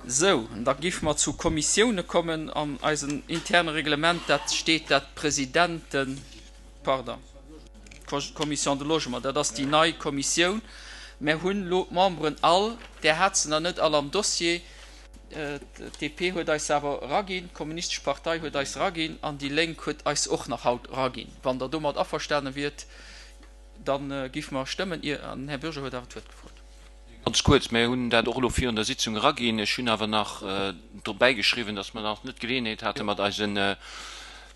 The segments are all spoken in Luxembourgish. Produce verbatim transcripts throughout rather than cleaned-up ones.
Sou, da géife mer zu Kommissioune kommen. An eisem interne Reglement, dat steet, dat d'Presidenten, pardon, d'Commission de Logement, dat ass déi nei Kommissioun. Mer hunn elo d'Memberen all, där hat se nach net all am Dossier. D'D P huet eis se awer eraginn, d'Kommunistesch Partei huet eis eraginn an déi Lénk huet eis och nach haut eraginn. Wann Der domat averstane wiert, da géife mer stëmmen. Ier, an den Här Bürger huet awer d'Wuert gefrot. Ganz kuerz, Mir hunn dat och elo virun der Sitzung eraginn. Ech hunn awer nach dobäi geschriwwen, dass mer nach net d'Geleeënheet hate mat eise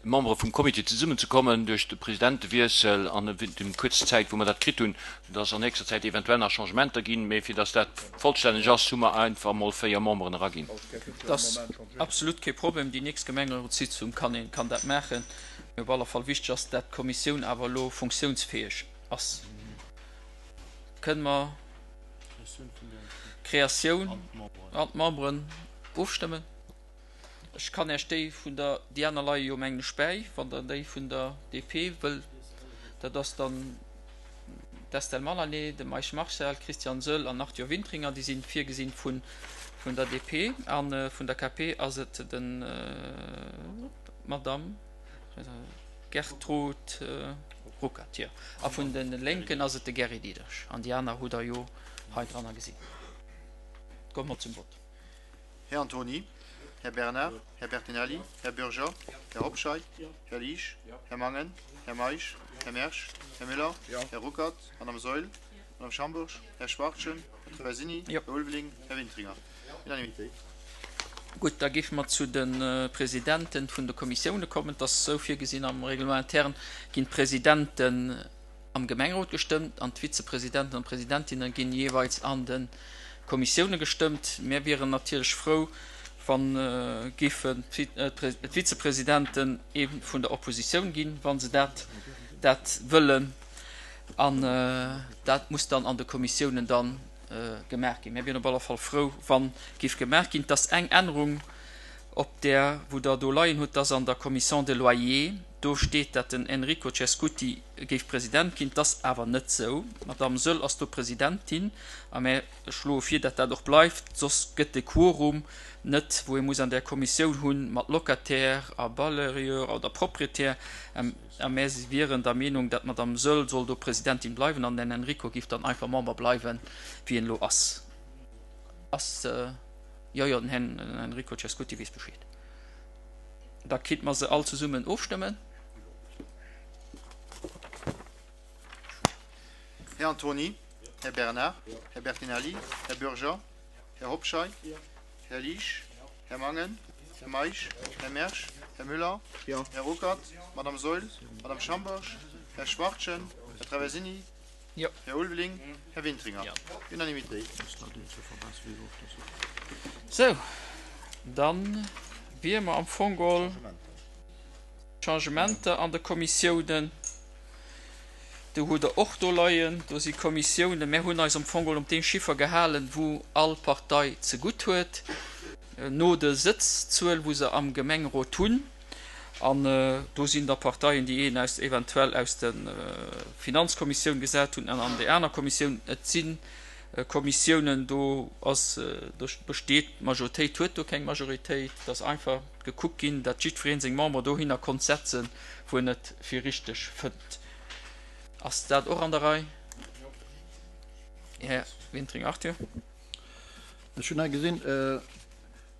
Membere vum Comité zesummenzekommen duerch de Presidentewiessel an déi kuerz Zäit, wou mer dat kritt hunn, dass an nächster Zäit eventuell nach Changementer ginn. Mee fir dass dat vollstänneg ass, hu mer einfach emol véier Memberen eraginn. Dat ass absolut kee Problem. Déi nächst Gemengerotssitzung kann een kann dat maachen. Mee op alle Fall wichteg ass, dat d'Kommissioun awer elo funktiounsfäeg ass. Kënne mer d'Kreatioun an d'Memberen ofstëmmen? Ech kann Äech déi vun der, déi aner leie jo mengen ech bäi, wann Der déi vun der D P wëllt, dat ass dann d'Estelle Malané, de Meisch Marcel, Christian Söll an Arthur Wintringer, déi si virgesinn vun vun der D P. A vun der K P ass et den d'Madame Gertrud Ruckert, jo. A vun de Lénken ass et de Gary Diderich. An déi aner hutt Der jo hei dranner gesinn. Komme mer zum Vott. Här Antony, Här Bernard, Här Bertinelli, Här Bürger, Här Hobscheit, Här Liesch, Här Mangen, Här Meisch, Här Mersch, Här Müller, Här Ruckert, Madame Saeul, Madame Schambourg, Här Schwachtgen, Här Traversini, Här Ulveling, Här Wintringer. Unanimitéit. Gutt, da géife mer zu de Presidenten vun de Kommissioune kommen. Et ass esou virgesinn am Règlement interne, ginn d'Presidenten am Gemengerot gestëmmt an d'Vizepresidenten an d'Presidentinne ginn jeeweils an de Kommissioune gestëmmt. Mär wieren natierlech frou, wa géifen d'Vizepresidenten ee vun der Oppositioun ginn, wa se dat dat wëllen. An dat muss dann an de Kommissiounen da gemaach ginn. Mär wieren op alle Fall frou, wa géif gemaach ginn. Et ass eng Ännerung op där, wou Der do leien hutt, dass an der Commission des Loyers, do steet, dat den Enrico Cescutti géif President ginn. Et ass awer net esou. D'Madame Söll ass do Presidentin a mär schloe vir, dat dat och bleift, soss gëtt de Quorum net, wou ee muss an där Kommissioun hunn, mat Locataire a Bailleur oder Propriétaire. A mär wieren der Meenung, dat d'Madame Söll soll do Presidentin bleiwen an den Enrico giff dann einfach Member bleiwen, wéi en elo ass. Ass, jo, jo, den Här Enrico Cescutti weess Bescheed. Da kinnt mer se all zesummen ofstëmmen. Här Antony, Här Bernard, Här Bertinelli, Här Bürger, Här Hobscheit, Här Liesch, Här Mangen, Här Meisch, Här Mersch, Här Müller, Här Ruckert, Madame Saeul, Madame Schambourg, Här Schwachtgen, Här Traversini, Här Ulveling, Här Wintringer. Unanimitéit. Sou, da wiere mer am Fong geholl. Changementer an de Kommissiounen, do hutt Der och do leien, do si Kommissiounen, mär hunn eis am Fong geholl op dee Chiffer gehalen, wou all Partei zegutt huet, no de Sëtzzuel, wou se am Gemengerot hunn. An do sinn da Parteien, déi een aus eventuell aus der Finanzkommissioun gesat hunn an an déi aner Kommissioun. Et si Kommissiounen, do ass, do besteet d'Majoritéit huet do keng Majoritéit. Et ass einfach gekuckt ginn, datt jiddweree seng Member dohinner konnt setzen, wou en et fir richteg fënnt. Ass dat och an der Rei, Här Wintring Arthur? Ech hunn hei gesinn,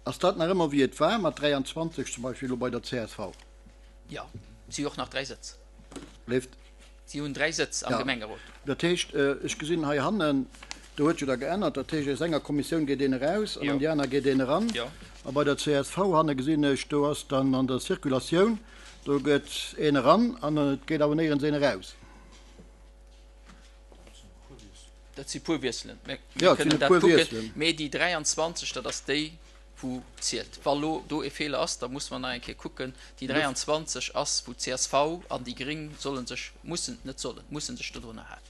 ass dat nach ëmmer wéi et war mat dräianzwanzeg zum Beispill elo bei der C S V? Jo, si hu och nach dräi Sëtz. Léift. Si hunn dräi Sëtz am Gemengerot. Dat heescht, ech gesinn heihannen, do huet jo da geännert, dat heescht, aus enger Kommissioun geet een eraus an an déi aner geet een eran. A bei der C S V hanne gesinn ech, do ass dann an der Circulatioun, do gëtt een eran an et geet awer néierens een eraus. Dat si puer Wiesselen. Mir kënnen dat kucken. Mee déi dräianzwanzeg, dat ass déi, wou zielt. Wa lo do e Feeler ass, da musse mer nach eng Kéier kucken. Déi dräianzwanzeg ass, wou d'C S V an déi Gréng solle sech, mussen, net sollen, musse sech dodrunner halen.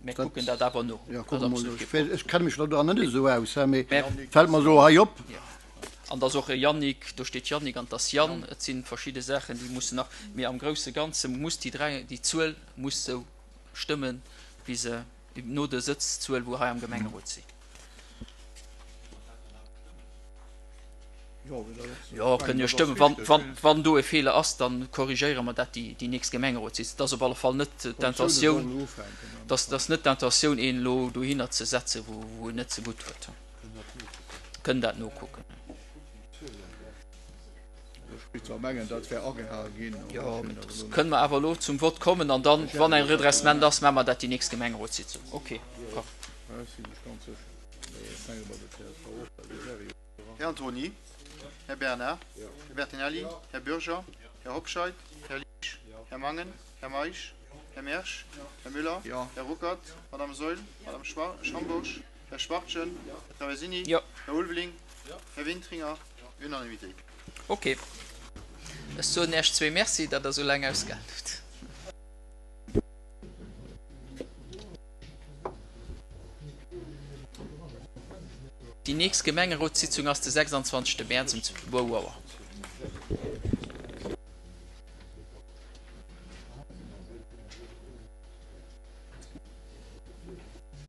Mir kucken dat awer no. Jo, kucke mol no. Ech kenne mech do net esou aus, mee fält mer esou hei op. Jo, an da ass och e Yannick, do steet Yannick an 't ass Yann. Et si verschidde Saachen, déi mussen nach, mee am grousse Ganze muss déi dräi, déi Zuel muss esou stëmmen, wéi se no der Sëtzzuel, wou hei am Gemengerot sinn. Jo, kënnen jo stëmmen. Wann, wann, wann do e Feeler ass, da korrigéiere mer dat déi, déi nächst Gemengerotssitzung. Et ass op alle Fall net d'Intentioun, dass, dass net d'Intentioun, een elo dohinner ze setzen, wou, wou en net ze gutt huet. Kënnen dat nokucken. Jo, mee da kënnen mer awer elo zum Vott kommen an dann, wann eng Redressement ass, maache mer dat déi nächst Gemengerotssitzung. Okay. Här Antony, Här Bernard, Här Bertinelli, Här Bürger, Här Hobscheit, Här Liesch, Här Mangen, Här Meisch, Här Mersch, Här Müller, Här Ruckert, Madame Saeul, Madame Schambourg, Här Schwachtgen, Här Traversini, Här Ulveling, Här Wintringer, Unanimité. Ok. Ech soen Iech zwee Merci, datt Der esou laang ausgehalen hutt. Déi nächst Gemengerotssitzung ass de sechsundzwanzegste Mäerz um zwou Auer.